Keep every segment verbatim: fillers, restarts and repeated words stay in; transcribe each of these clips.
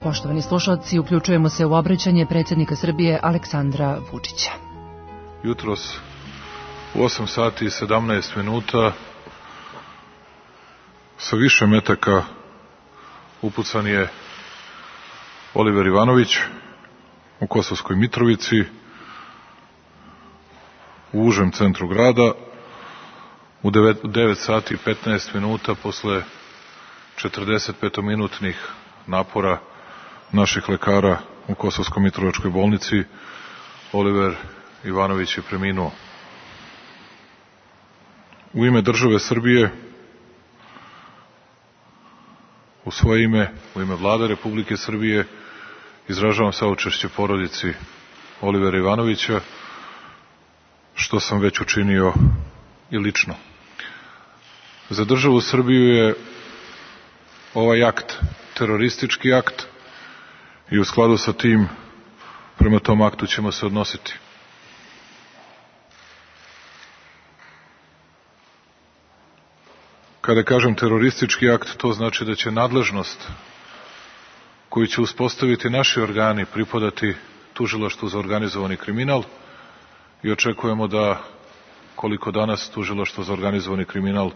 Poštovani slušalci, uključujemo se u obraćanje predsjednika Srbije Aleksandra Vučića. Jutros u osam sati i sedamnaest minuta sa više metaka upucan je Oliver Ivanović u Kosovskoj Mitrovici, u užem centru grada. U devet sati i petnaest minuta posle četrdesetpetominutnih napora naših lekara u Kosovsko-Mitrovačkoj bolnici Oliver Ivanović je preminuo. U ime države Srbije, u svoje ime, u ime Vlade Republike Srbije, izražavam saučešće porodici Olivera Ivanovića, što sam već učinio i lično. Za državu Srbiju je ovaj akt teroristički akt i u skladu sa tim prema tom aktu ćemo se odnositi. Kada kažem teroristički akt, to znači da će nadležnost koju će uspostaviti naši organi pripadati Tužilaštvu za organizovani kriminal i očekujemo da, koliko danas Tužilaštvo za organizovani kriminal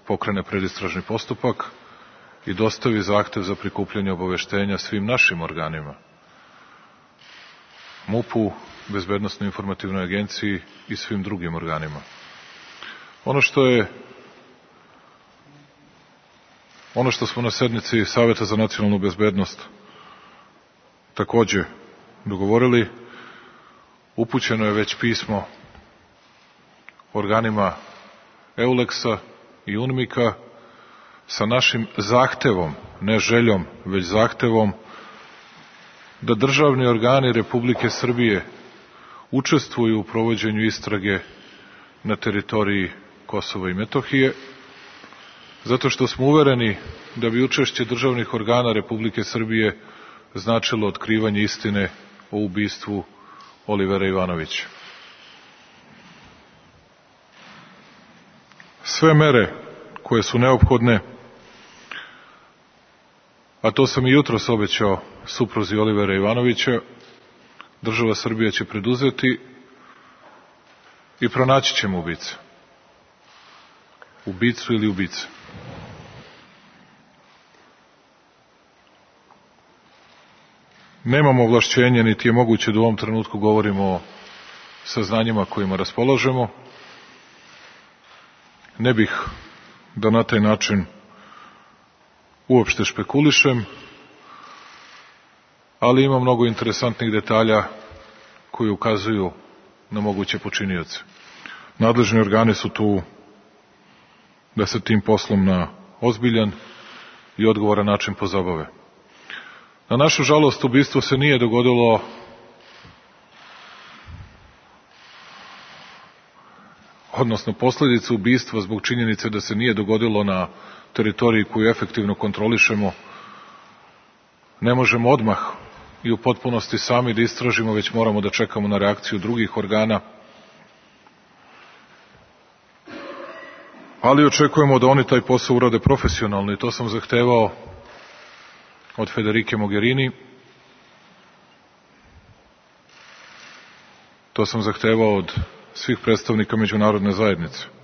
pokrene predistražni postupak i dostavi zahtev za prikupljanje obaveštenja svim našim organima, MUP-u, Bezbednosno-informativnoj agenciji i svim drugim organima. Ono što je ono što smo na sednici Saveta za nacionalnu bezbednost takođe dogovorili, upućeno je već pismo organima Euleksa i UNMIK-a sa našim zahtevom, ne željom, već zahtevom da državni organi Republike Srbije učestvuju u provođenju istrage na teritoriji Kosova i Metohije, zato što smo uvereni da bi učešće državnih organa Republike Srbije značilo otkrivanje istine o ubistvu Olivera Ivanovića. Sve mere koje su neophodne, a to sam i jutros obećao supruzi Olivera Ivanovića, država Srbija će preduzeti i pronaći ćemo ubice. Ubicu ili ubice. Nemamo ovlašćenje, niti je moguće da u ovom trenutku govorimo o saznanjima kojima raspolažemo. Ne bih da na taj način uopšte špekulišem, ali ima mnogo interesantnih detalja koji ukazuju na moguće počinioce. Nadležni organi su tu da se tim poslom na ozbiljan i odgovoran način pozabave. Na našu žalost, ubistvo se nije dogodilo odnosno posledice ubistva zbog činjenice da se nije dogodilo na teritoriji koju efektivno kontrolišemo, ne možemo odmah i u potpunosti sami da istražimo, već moramo da čekamo na reakciju drugih organa, ali očekujemo da oni taj posao urade profesionalno i to sam zahtevao od Federike Mogherini, to sam zahtevao od svih predstavnika međunarodne zajednice.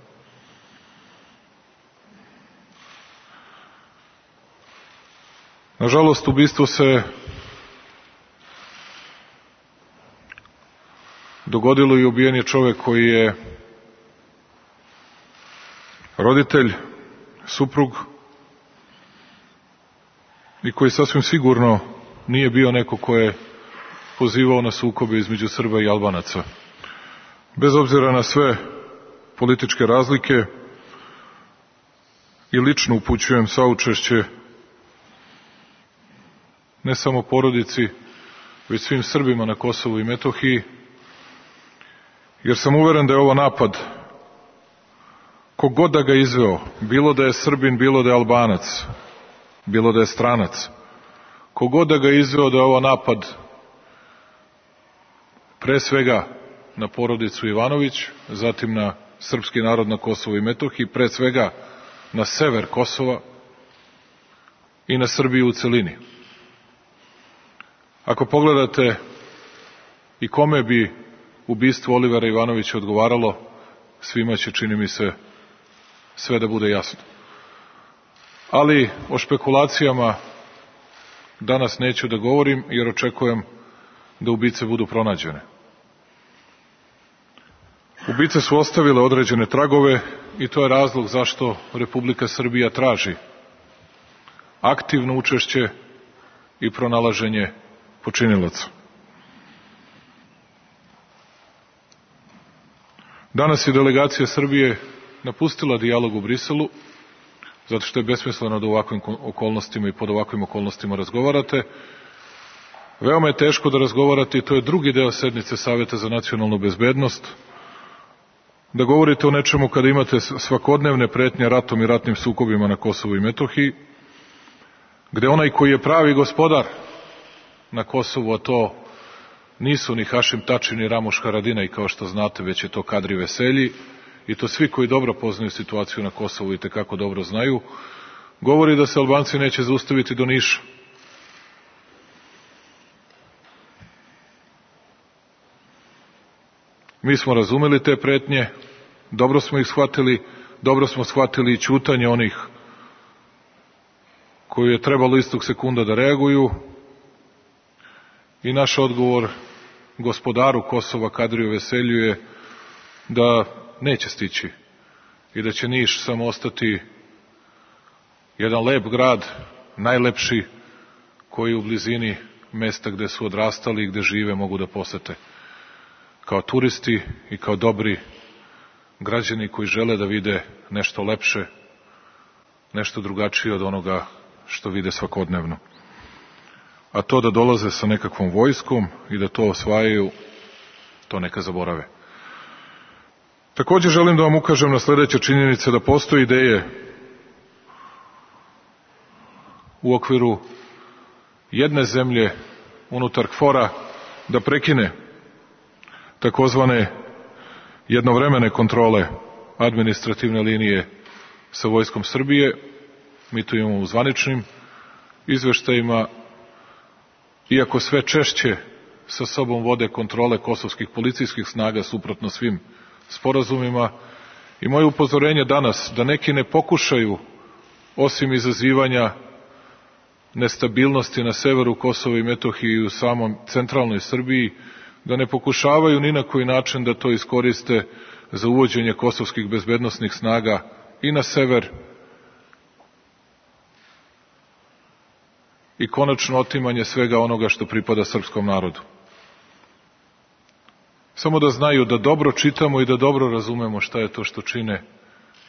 Nažalost, ubistvo se dogodilo i ubijen je čovek koji je roditelj, suprug i koji sasvim sigurno nije bio neko ko je pozivao na sukobe između Srba i Albanaca. Bez obzira na sve političke razlike i lično upućujem saučešće ne samo porodici, već svim Srbima na Kosovu i Metohiji, jer sam uveren da je ovo napad, kogod da ga izveo, bilo da je Srbin, bilo da je Albanac, bilo da je stranac, kogod da ga izveo, da je ovo napad pre svega na porodicu Ivanović, zatim na srpski narod na Kosovu i Metohiji, pre svega na sever Kosova i na Srbiju u celini. Ako pogledate i kome bi ubistvo Olivera Ivanovića odgovaralo, svima će, čini mi se, sve da bude jasno. Ali o špekulacijama danas neću da govorim, jer očekujem da ubice budu pronađene. Ubice su ostavile određene tragove i to je razlog zašto Republika Srbija traži aktivno učešće i pronalaženje počinilaca. Danas je delegacija Srbije napustila dijalog u Briselu, zato što je besmisleno da u ovakvim okolnostima i pod ovakvim okolnostima razgovarate. Veoma je teško da razgovarate i to je drugi deo sednice Saveta za nacionalnu bezbednost, da govorite o nečemu kada imate svakodnevne pretnje ratom i ratnim sukobima na Kosovu i Metohiji, gde onaj koji je pravi gospodar na Kosovu, a to nisu ni Hašim Tači ni Ramuš Haradinaj, kao što znate, već je to Kadri Veselji, i to svi koji dobro poznaju situaciju na Kosovu i tekako dobro znaju, govori da se Albanci neće zaustaviti do Niša. Mi smo razumeli te pretnje, dobro smo ih shvatili, dobro smo shvatili i ćutanje onih koji je trebalo istog sekunda da reaguju, i naš odgovor gospodaru Kosova Kadriju Veselju je da neće stići i da će Niš samo ostati jedan lep grad, najlepši, koji u blizini mesta gde su odrastali i gde žive mogu da posete kao turisti i kao dobri građani koji žele da vide nešto lepše, nešto drugačije od onoga što vide svakodnevno. A to da dolaze sa nekakvom vojskom i da to osvajaju, to neka zaborave. Takođe želim da vam ukažem na sledeće činjenice, da postoje ideje u okviru jedne zemlje unutar KFOR-a da prekine takozvane jednovremene kontrole administrativne linije sa vojskom Srbije. Mi to imamo u zvaničnim izveštajima, iako sve češće sa sobom vode kontrole kosovskih policijskih snaga suprotno svim sporazumima. I moje upozorenje danas da neki ne pokušaju, osim izazivanja nestabilnosti na severu Kosova i Metohije i u samom centralnoj Srbiji, da ne pokušavaju ni na koji način da to iskoriste za uvođenje kosovskih bezbednosnih snaga i na sever i konačno otimanje svega onoga što pripada srpskom narodu. Samo da znaju da dobro čitamo i da dobro razumemo šta je to što čine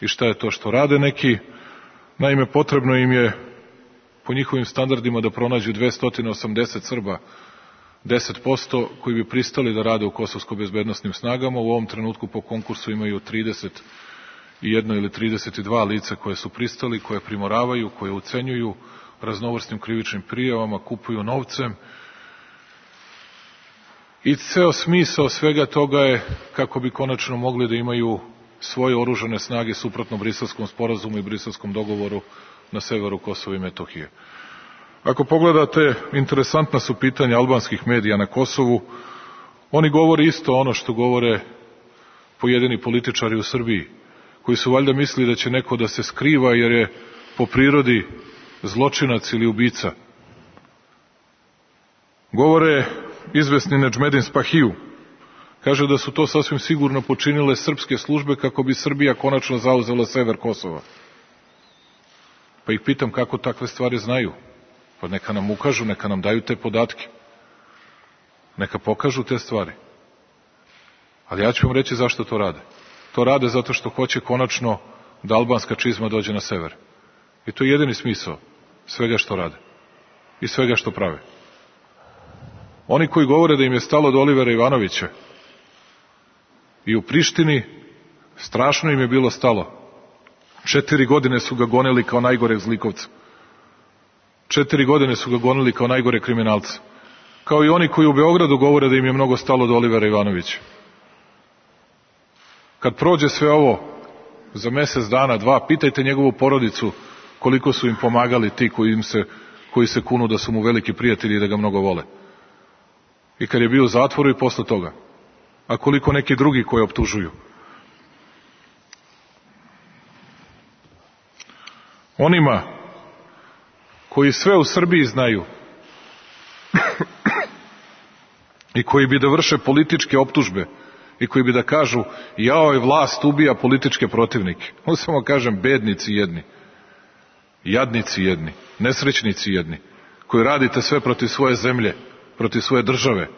i šta je to što rade neki. Naime, potrebno im je po njihovim standardima da pronađu dvesta osamdeset Srba, deset posto koji bi pristali da rade u kosovsko-bezbednosnim snagama. U ovom trenutku po konkursu imaju trideset jedno ili trideset dva lica koje su pristali, koje primoravaju, koje ucenjuju raznovrsnim krivičnim prijavama, kupuju novcem. I ceo smisao svega toga je kako bi konačno mogli da imaju svoje oružane snage suprotno Briselskom sporazumu i Briselskom dogovoru na severu Kosova i Metohije. Ako pogledate, interesantna su pitanja albanskih medija na Kosovu. Oni govore isto ono što govore pojedini političari u Srbiji, koji su valjda mislili da će neko da se skriva jer je po prirodi zločinac ili ubica. Govore izvesni Nedžmedin Spahiju. Kaže da su to sasvim sigurno počinile srpske službe kako bi Srbija konačno zauzela sever Kosova. Pa ih pitam kako takve stvari znaju. Pa neka nam ukažu, neka nam daju te podatke. Neka pokažu te stvari. Ali ja ću vam reći zašto to rade. To rade zato što hoće konačno da albanska čizma dođe na sever. I to je jedini smisao svega što rade i svega što prave. Oni koji govore da im je stalo do Olivera Ivanovića i u Prištini, strašno im je bilo stalo. Četiri godine su ga gonili kao najgoreg zlikovca. Četiri godine su ga gonili kao najgore kriminalca. Kao i oni koji u Beogradu govore da im je mnogo stalo do Olivera Ivanovića. Kad prođe sve ovo za mesec dana, dva, pitajte njegovu porodicu koliko su im pomagali ti koji, im se, koji se kunu da su mu veliki prijatelji i da ga mnogo vole. i kad je bio u zatvoru i posle toga. A koliko neki drugi koji optužuju. Onima koji sve u Srbiji znaju i koji bi da vrše političke optužbe i koji bi da kažu jao je vlast ubija političke protivnike. On samo kažem bednici jedni, jadnici jedni, nesrećnici jedni, koji radite sve protiv svoje zemlje, protiv svoje države,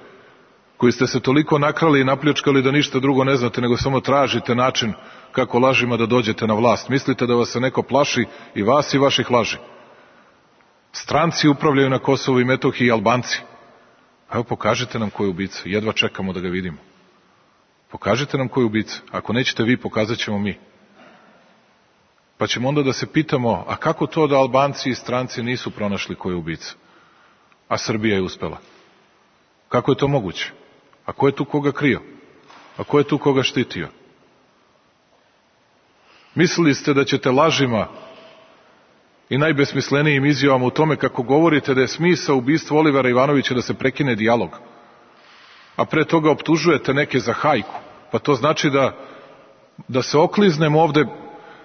koji ste se toliko nakrali i napljačkali da ništa drugo ne znate, nego samo tražite način kako lažima da dođete na vlast. Mislite da vas se neko plaši i vas i vaših laži. Stranci upravljaju na Kosovu i Metohiji i Albanci. Evo pokažite nam ko je ubica, jedva čekamo da ga vidimo. Pokažite nam ko je ubica. Ako nećete vi, pokazat ćemo mi. Pa ćemo onda da se pitamo, a kako to da Albanci i stranci nisu pronašli ko je ubica, a Srbija je uspela? Kako je to moguće? A ko je tu koga krio? A ko je tu koga štitio? Mislili ste da ćete lažima i najbesmislenijim izjavama u tome kako govorite da je smisao ubistva Olivera Ivanovića da se prekine dijalog, a pre toga optužujete neke za hajku, pa to znači da, da se okliznem ovde,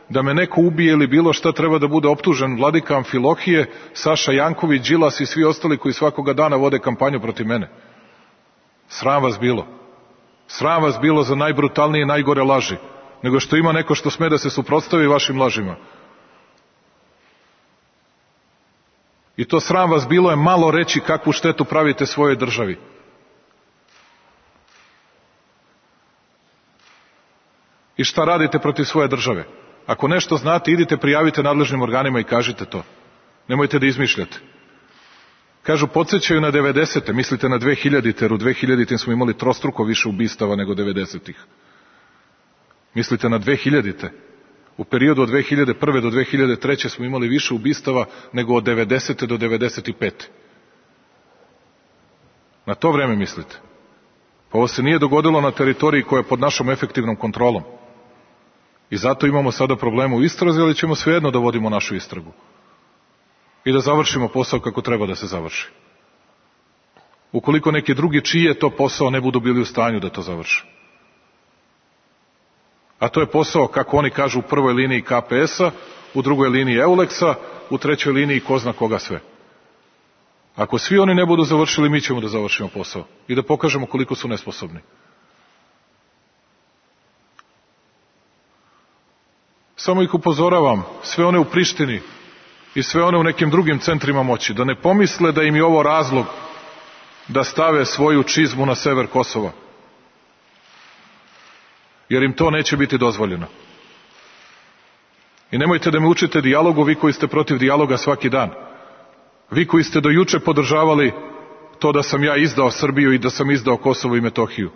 da me neko ubije ili bilo šta, treba da bude optužen Vladika Amfilohije, Saša Janković, Đilas i svi ostali koji svakoga dana vode kampanju protiv mene. Sram vas bilo. Sram vas bilo za najbrutalnije i najgore laži, nego što ima neko što sme da se suprotstavi vašim lažima. I to sram vas bilo je malo reći kakvu štetu pravite svojoj državi. I šta radite protiv svoje države? Ako nešto znate, idite prijavite nadležnim organima i kažite to. Nemojte da izmišljate. Kažu, podsjećaju na devedesete, mislite na dve hiljadite, jer u dve hiljadite smo imali trostruko više ubistava nego devedesetih. Mislite na dve hiljadite. U periodu od dve hiljade prve do dve hiljade treće smo imali više ubistava nego od devedesete do devedeset pete. Na to vreme mislite. Pa ovo se nije dogodilo na teritoriji koja je pod našom efektivnom kontrolom. I zato imamo sada problema u istrazi, ali ćemo svejedno da vodimo našu istragu. I da završimo posao kako treba da se završi. Ukoliko neki drugi čiji je to posao ne budu bili u stanju da to završe. A to je posao, kako oni kažu, u prvoj liniji Ka Pe Esa, u drugoj liniji Euleksa, u trećoj liniji ko zna koga sve. Ako svi oni ne budu završili, mi ćemo da završimo posao i da pokažemo koliko su nesposobni. Samo ih upozoravam, sve one u Prištini i sve one u nekim drugim centrima moći, da ne pomisle da im je ovo razlog da stave svoju čizmu na sever Kosova. Jer im to neće biti dozvoljeno. I nemojte da me učite dijalogu, vi koji ste protiv dijaloga svaki dan. Vi koji ste do juče podržavali to da sam ja izdao Srbiju i da sam izdao Kosovo i Metohiju.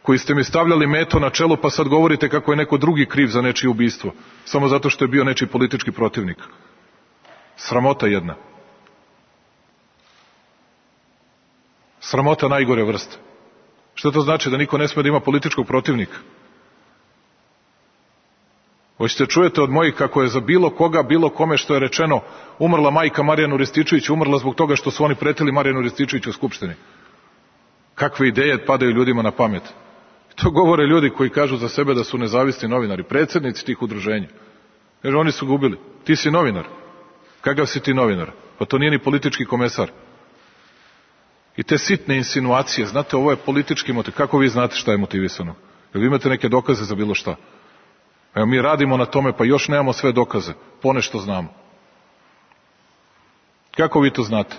Koji ste mi stavljali meto na čelo, pa sad govorite kako je neko drugi kriv za nečije ubistvo, samo zato što je bio nečiji politički protivnik. Sramota jedna. Sramota najgore vrste. Što to znači? Da niko ne sme da ima političkog protivnika? Hoćete čujete od mojih kako je za bilo koga, bilo kome što je rečeno umrla majka Marijanu Rističeviću, umrla zbog toga što su oni pretili Marijanu Rističeviću u Skupštini. Kakve ideje padaju ljudima na pamet? To govore ljudi koji kažu za sebe da su nezavisni novinari, predsjednici tih udruženja. Jer oni su ga ubili. Ti si novinar. Kakav si ti novinar? Pa to nije ni politički komesar. I te sitne insinuacije, znate, ovo je politički motiv. Kako vi znate šta je motivisano? Jel vi imate neke dokaze za bilo šta? Evo, mi radimo na tome, pa još nemamo sve dokaze. Ponešto znamo. Kako vi to znate?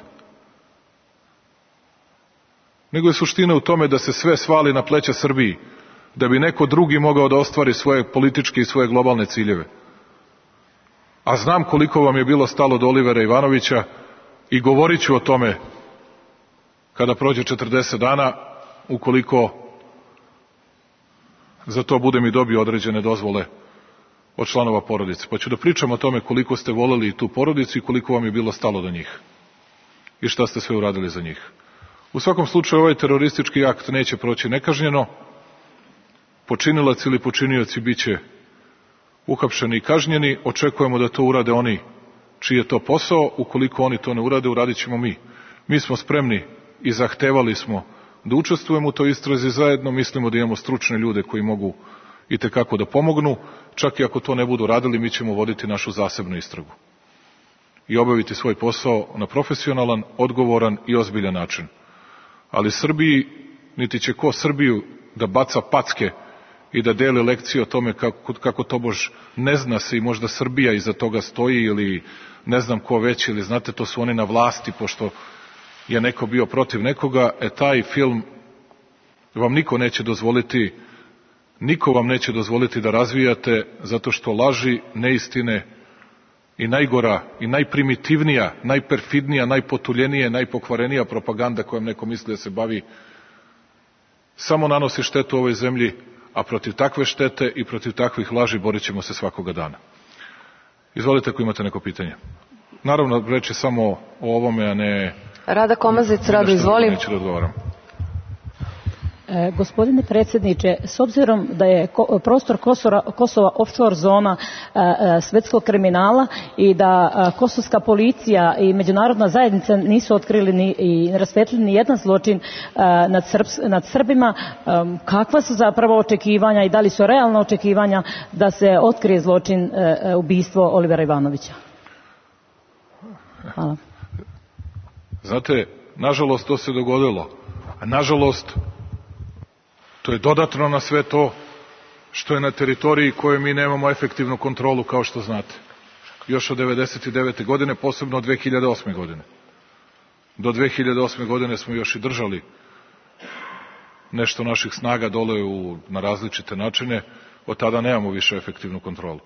Nego je suština u tome da se sve svali na pleća Srbiji, da bi neko drugi mogao da ostvari svoje političke i svoje globalne ciljeve. A znam koliko vam je bilo stalo do Olivera Ivanovića i govorit ću o tome kada prođe četrdeset dana, ukoliko za to budem i dobio određene dozvole od članova porodice. Pa ću da pričam o tome koliko ste voleli tu porodicu i koliko vam je bilo stalo do njih. I šta ste sve uradili za njih. U svakom slučaju ovaj teroristički akt neće proći nekažnjeno. Počinilac ili počinioci bit će uhapšeni i kažnjeni. Očekujemo da to urade oni čiji je to posao. Ukoliko oni to ne urade, uradit ćemo mi. Mi smo spremni i zahtevali smo da učestvujemo u toj istrazi zajedno. Mislimo da imamo stručne ljude koji mogu itekako da pomognu. Čak i ako to ne budu radili, mi ćemo voditi našu zasebnu istragu i obaviti svoj posao na profesionalan, odgovoran i ozbiljan način. Ali Srbiji, niti će ko Srbiju da baca packe i da deli lekcije o tome kako, kako tobož ne zna se i možda Srbija iza toga stoji ili ne znam ko već, ili znate, to su oni na vlasti pošto je neko bio protiv nekoga. E taj film vam niko neće dozvoliti, niko vam neće dozvoliti da razvijate, zato što laži, neistine i najgora i najprimitivnija, najperfidnija, najpotuljenija, najpokvarenija propaganda kojom neko misli da se bavi samo nanosi štetu ovoj zemlji, a protiv takve štete i protiv takvih laži borit ćemo se svakoga dana. Izvolite ako imate neko pitanje. Naravno, reći samo o ovome, a ne... Rada Komazić, Rado, izvolim. Neću da odgovaram. E, gospodine predsjedniče, s obzirom da je ko, prostor Kosora, Kosova offshore zona e, e, svetskog kriminala i da e, kosovska policija i međunarodna zajednica nisu otkrili ni, i rasvetljili ni jedan zločin e, nad, Srbs, nad Srbima, e, kakva su zapravo očekivanja i da li su realna očekivanja da se otkrije zločin e, ubistvo Olivera Ivanovića? Hvala. Znate, nažalost to se dogodilo, a nažalost to je dodatno na sve to što je na teritoriji koje mi nemamo efektivnu kontrolu, kao što znate. Još od devedeset devete godine, posebno od dve hiljade osme godine. Do dve hiljade osme godine smo još i držali nešto naših snaga dole u, na različite načine, od tada nemamo više efektivnu kontrolu.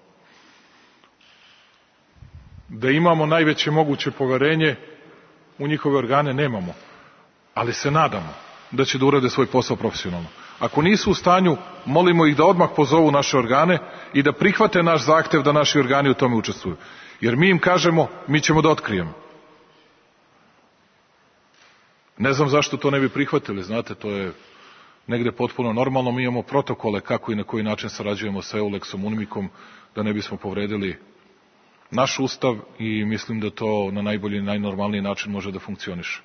Da imamo najveće moguće poverenje u njihove organe, nemamo, ali se nadamo da će da urade svoj posao profesionalno. Ako nisu u stanju, molimo ih da odmah pozovu naše organe i da prihvate naš zahtev da naši organi u tome učestvuju. Jer mi im kažemo, mi ćemo da otkrijemo. Ne znam zašto to ne bi prihvatili, znate, to je negde potpuno normalno. Mi imamo protokole kako i na koji način sarađujemo sa Euleksom, UNMIK-om, da ne bismo povredili naš ustav i mislim da to na najbolji i najnormalniji način može da funkcioniše.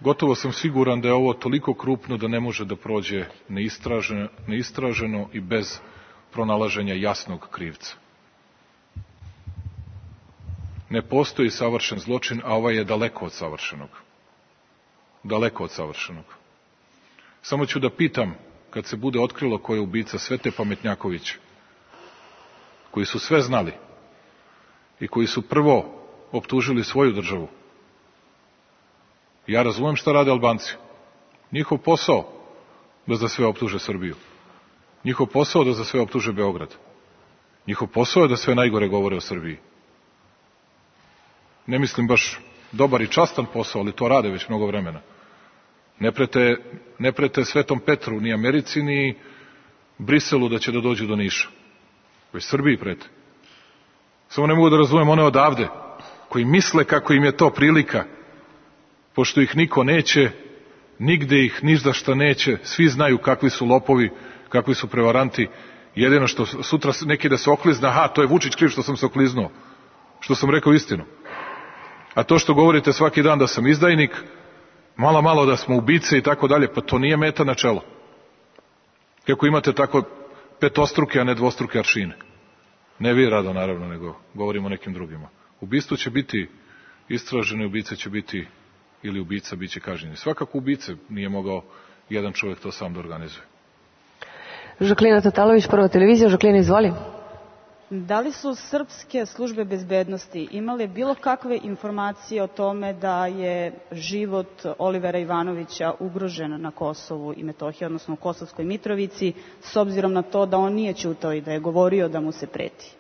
Gotovo sam siguran da je ovo toliko krupno da ne može da prođe neistraženo, neistraženo i bez pronalaženja jasnog krivca. Ne postoji savršen zločin, a ovaj je daleko od savršenog. Daleko od savršenog. Samo ću da pitam, kad se bude otkrilo ko je ubica, sve te pametnjakoviće, koji su sve znali i koji su prvo optužili svoju državu. Ja razumem šta rade Albanci. Njihov posao da za sve optuže Srbiju. Njihov posao da za sve optuže Beograd. Njihov posao je da sve najgore govore o Srbiji. Ne mislim baš dobar i častan posao, ali to rade već mnogo vremena. Ne prete, ne prete Svetom Petru, ni Americi, ni Briselu da će da dođu do Niša. Već Srbiji prete. Samo ne mogu da razumem one odavde, koji misle kako im je to prilika, pošto ih niko neće, nigde ih ni za šta neće, svi znaju kakvi su lopovi, kakvi su prevaranti, jedino što sutra neki da se oklizne, aha, to je Vučić kriv što sam se okliznuo, što sam rekao istinu. A to što govorite svaki dan da sam izdajnik, malo malo da smo ubice i tako dalje, pa to nije meta na čelo. Kako imate tako petostruke, a ne dvostruke aršine. Ne vi, Rado, naravno, nego govorimo o nekim drugima. Ubistvo će biti istraženo i ubice će biti, ili ubica biće kažnjeni. Svakako ubice nije mogao jedan čovjek to sam da organizuje. Žaklina Tatalović, Prva televizija. Žaklina, izvoli. Da li su srpske službe bezbednosti imale bilo kakve informacije o tome da je život Olivera Ivanovića ugrožen na Kosovu i Metohiji, odnosno u Kosovskoj Mitrovici, s obzirom na to da on nije ćutao i da je govorio da mu se preti?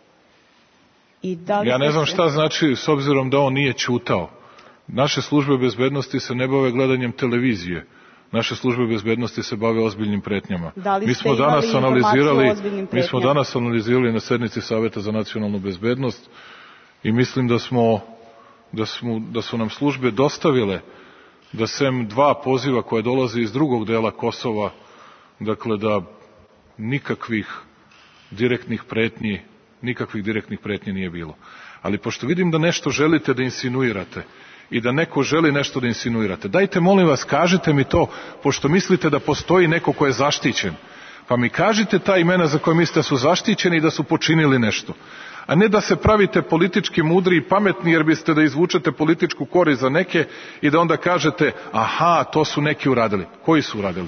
I da li ja ne znam se... šta znači s obzirom da on nije ćutao. Naše službe bezbednosti se ne bave gledanjem televizije. Naše službe bezbednosti se bave ozbiljnim pretnjama. Da li mi ste smo danas imali analizirali, o ozbiljnim pretnjama? Mi smo danas analizirali na sednici Saveta za nacionalnu bezbednost i mislim da smo, da smo, da su nam službe dostavile da sem dva poziva koje dolaze iz drugog dela Kosova, dakle da nikakvih direktnih pretnji, nikakvih direktnih pretnji nije bilo. Ali pošto vidim da nešto želite da insinuirate i da neko želi nešto da insinuirate, dajte molim vas, kažite mi to, pošto mislite da postoji neko ko je zaštićen, pa mi kažite ta imena za koje mislite da su zaštićeni i da su počinili nešto. A ne da se pravite politički mudri i pametni jer biste da izvučete političku korist za neke i da onda kažete, aha, to su neki uradili. Koji su uradili?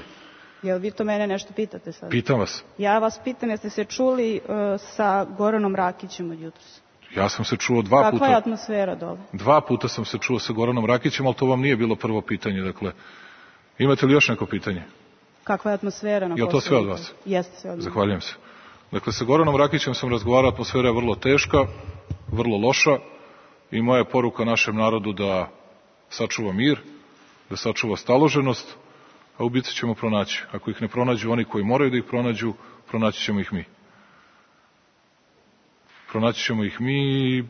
Jel vi to mene nešto pitate sad? Pitam vas. Ja vas pitam, jeste se čuli uh, sa Goranom Rakićem od jutros? Ja sam se čuo dva Kakva puta. Kakva je atmosfera dole? Dva puta sam se čuo sa Goranom Rakićem, ali to vam nije bilo prvo pitanje. Dakle, imate li još neko pitanje? Kakva je atmosfera na Kosovu? Je li to sve od vas? Jeste sve od vas. Zahvaljujem se. Dakle, sa Goranom Rakićem sam razgovarao, atmosfera je vrlo teška, vrlo loša i moja je poruka našem narodu da sačuva mir, da sačuva staloženost, a ubice ćemo pronaći. Ako ih ne pronađu oni koji moraju da ih pronađu, pronaći ćemo ih mi. Pronaći ćemo ih mi i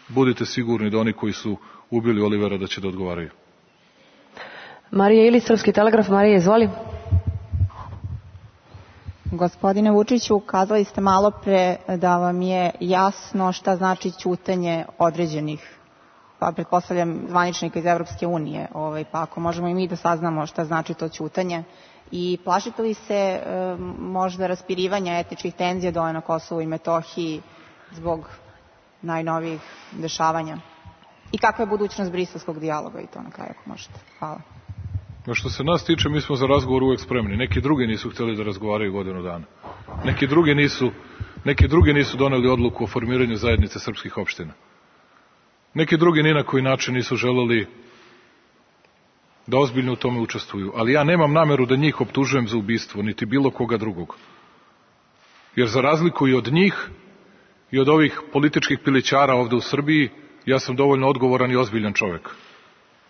budite sigurni da oni koji su ubili Olivera da će da odgovaraju. Marija Ilić, Srpski telegraf. Marija, izvoli. Gospodine Vučiću, kazali ste malo pre da vam je jasno šta znači ćutanje određenih, pa pretpostavljam zvaničnika iz Evropske unije, ovaj, pa ako možemo i mi da saznamo šta znači to ćutanje. I plašite li se e, možda raspirivanja etničkih tenzija dole na Kosovu i Metohiji zbog najnovijih dešavanja? I kakva je budućnost briselskog dijaloga i to na kraju, ako možete? Hvala. No što se nas tiče, mi smo za razgovor uvek spremni. Neki drugi nisu hteli da razgovaraju godinu dana. Neki drugi nisu, neki drugi nisu doneli odluku o formiranju zajednice srpskih opština. Neki drugi ni na koji način nisu želeli da ozbiljno u tome učestvuju. Ali ja nemam nameru da njih optužujem za ubistvo, niti bilo koga drugog. Jer za razliku i od njih i od ovih političkih pilićara ovde u Srbiji, ja sam dovoljno odgovoran i ozbiljan čovek.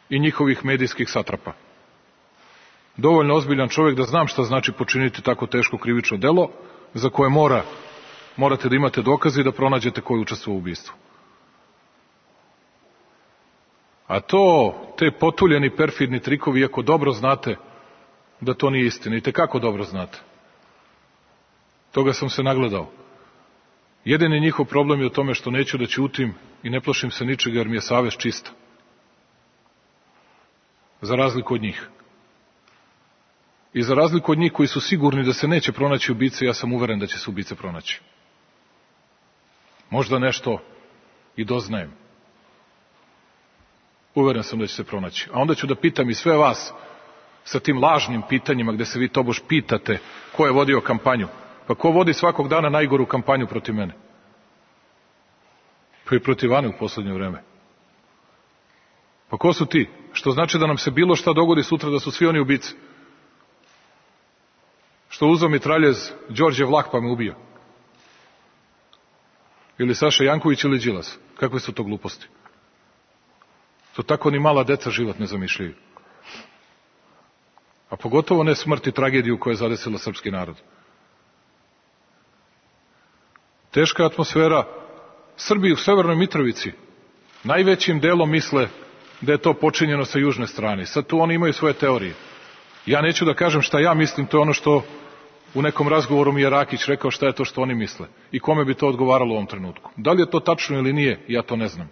I njihovih medijskih satrapa. Dovoljno ozbiljan čovjek da znam šta znači počiniti tako teško krivično delo, za koje mora, morate da imate dokaze i da pronađete ko je učestvovao u ubistvu. A to, te potuljeni, perfidni trikovi, iako dobro znate da to nije istina, i tekako dobro znate. Toga sam se nagledao. Jedini njihov problem je u tome što neću da ćutim i ne plašim se ničega jer mi je savest čista. Za razliku od njih. I za razliku od njih koji su sigurni da se neće pronaći ubice, ja sam uveren da će se ubice pronaći. Možda nešto i doznajem. Uveren sam da će se pronaći. A onda ću da pitam i sve vas sa tim lažnim pitanjima gde se vi tobož pitate ko je vodio kampanju. Pa ko vodi svakog dana najgoru kampanju protiv mene? Pa i protiv Ane u poslednje vreme. Pa ko su ti? Što znači da nam se bilo šta dogodi sutra da su svi oni ubice? Što uzeo mitraljez Đorđe Vlah pa me ubio? Ili Saša Janković ili Đilas? Kakve su to gluposti? To tako ni mala deca život ne zamišljaju. A pogotovo ne smrt i tragediju koja je zadesila srpski narod. Teška atmosfera. Srbi u Severnoj Mitrovici najvećim delom misle da je to počinjeno sa južne strane. Sad tu oni imaju svoje teorije. Ja neću da kažem šta ja mislim, to je ono što u nekom razgovoru mi je Rakić rekao šta je to što oni misle i kome bi to odgovaralo u ovom trenutku. Da li je to tačno ili nije, ja to ne znam.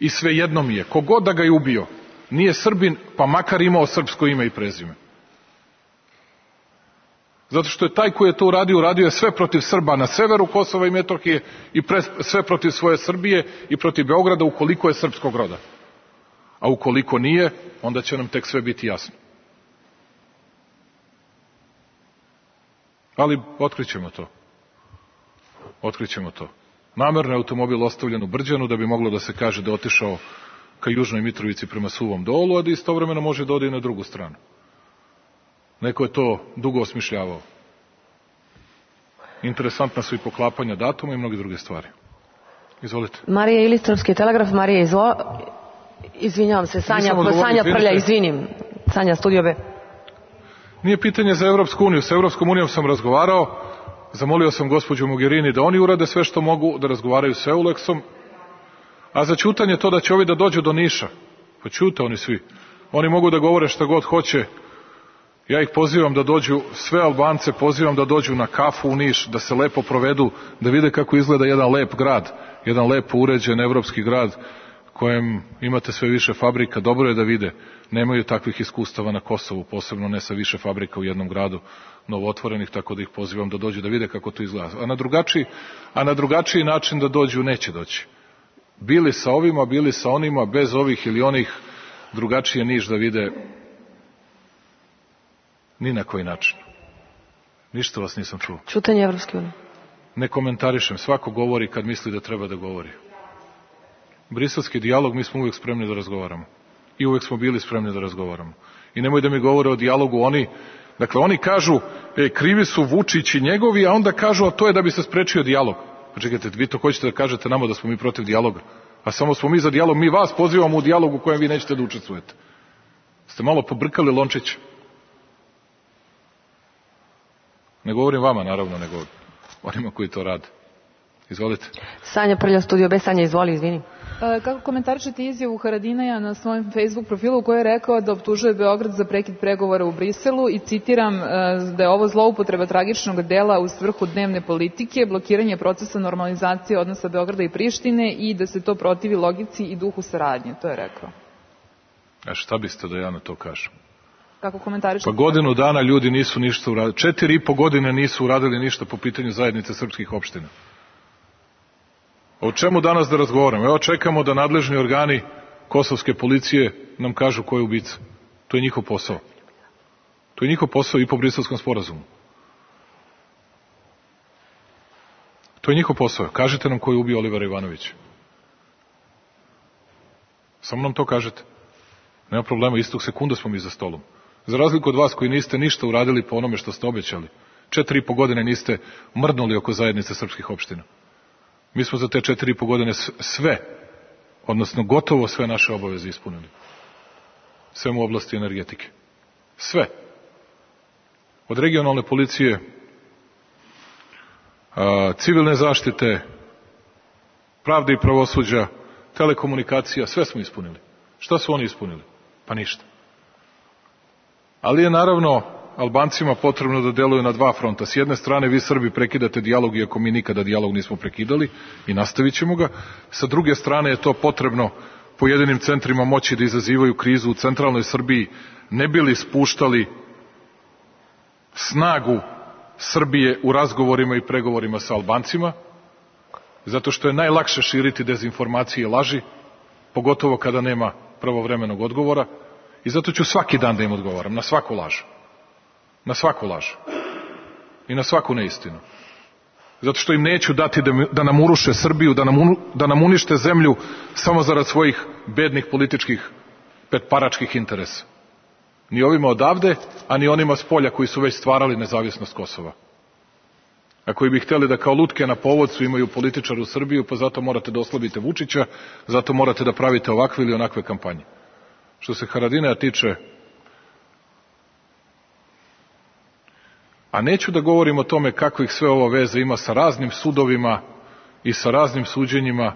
I svejedno mi je, kogod da ga je ubio, nije Srbin, pa makar imao srpsko ime i prezime. Zato što je taj koji je to uradio, uradio je sve protiv Srba na severu Kosova i Metohije i pre, sve protiv svoje Srbije i protiv Beograda ukoliko je srpskog roda. A ukoliko nije, onda će nam tek sve biti jasno. Ali otkrićemo to. Otkrićemo to. Namerno je automobil ostavljen u Brđanu da bi moglo da se kaže da je otišao ka Južnoj Mitrovici prema Suvom Dolu, a da istovremeno može da ode i na drugu stranu. Neko je to dugo osmišljavao. Interesantna su i poklapanja datuma i mnoge druge stvari. Izvolite. Marija Ilić, Srpski telegraf. Marija, izvo... izvinjavam se, Sanja, Sanja Prlja, izvinim. Sanja, Studio B. Nije pitanje za Evropsku uniju. Sa Evropskom unijom sam razgovarao, zamolio sam gospođu Mogherini da oni urade sve što mogu, da razgovaraju s Euleksom, a za ćutanje to da će ovi da dođu do Niša. Pa ćute oni svi. Oni mogu da govore šta god hoće Ja ih pozivam da dođu, sve Albance pozivam da dođu na kafu u Niš, da se lepo provedu, da vide kako izgleda jedan lep grad, jedan lepo uređen evropski grad kojem imate sve više fabrika. Dobro je da vide, nemaju takvih iskustava na Kosovu, posebno ne sa više fabrika u jednom gradu novootvorenih, tako da ih pozivam da dođu da vide kako to izgleda. A na drugačiji, a na drugačiji način da dođu neće doći. Bili sa ovima, bili sa onima, bez ovih ili onih, drugačije Niš da vide ni na koji način. Ništa vas nisam čuo. Čutanje Evropske unije. Ne komentarišem, svako govori kad misli da treba da govori. Briselski dijalog, mi smo uvek spremni da razgovaramo. I uvek smo bili spremni da razgovaramo. I nemoj da mi govore o dijalogu oni, dakle oni kažu, e, krivi su Vučić i njegovi, a onda kažu, a to je da bi se sprečio dijalog. Pa čekajte, vi to hoćete da kažete nama da smo mi protiv dijaloga, a samo smo mi za dijalog, mi vas pozivamo u dijalogu u kojem vi nećete da učestvujete. Ste malo pobrkali lončić. Ne govorim vama, naravno, nego onima koji to rade. Izvolite. Sanja Prlja, Studio B. Sanja, izvoli, izvini. Kako komentarišete izjavu Haradinaja na svojem Facebook profilu u kojoj je rekao da optužuje Beograd za prekid pregovora u Briselu i citiram da je ovo zloupotreba tragičnog dela u svrhu dnevne politike, blokiranje procesa normalizacije odnosa Beograda i Prištine i da se to protivi logici i duhu saradnje. To je rekao. A šta biste da ja na to kažem? Kako komentarišete? Pa godinu dana ljudi nisu ništa uradili. Četiri i po godine nisu uradili ništa po pitanju zajednice srpskih opština. O čemu danas da razgovaramo? Evo čekamo da nadležni organi kosovske policije nam kažu ko je ubica. To je njihov posao. To je njihov posao i po Briselskom sporazumu. To je njihov posao. Kažite nam ko je ubio Olivera Ivanovića. Samo nam to kažete. Nema problema, istog sekunda smo mi za stolom. Za razliku od vas koji niste ništa uradili po onome što ste obećali. Četiri i po godine niste mrdnuli oko zajednice srpskih opština. Mi smo za te četiri i po godine sve, odnosno gotovo sve naše obaveze ispunili. Sve u oblasti energetike. Sve. Od regionalne policije, civilne zaštite, pravde i pravosuđa, telekomunikacija, sve smo ispunili. Šta su oni ispunili? Pa ništa. Ali je naravno Albancima potrebno da deluju na dva fronta. S jedne strane vi Srbi prekidate dijalog, iako mi nikada dijalog nismo prekidali i nastavit ćemo ga. Sa druge strane je to potrebno pojedinim centrima moći da izazivaju krizu u centralnoj Srbiji, ne bili spuštali snagu Srbije u razgovorima i pregovorima sa Albancima, zato što je najlakše širiti dezinformacije i laži, pogotovo kada nema pravovremenog odgovora, i zato ću svaki dan da im odgovaram, na svaku laž. Na svaku laž. I na svaku neistinu. Zato što im neću dati da, da nam uruše Srbiju, da nam, da nam unište zemlju samo zarad svojih bednih političkih petparačkih interesa. Ni ovima odavde, a ni onima s polja koji su već stvarali nezavisnost Kosova. A koji bi hteli da kao lutke na povodcu imaju političar u Srbiju, pa zato morate da oslabite Vučića, zato morate da pravite ovakve ili onakve kampanje. Što se Haradinaja tiče, a neću da govorim o tome kakvih sve ovo veze ima sa raznim sudovima i sa raznim suđenjima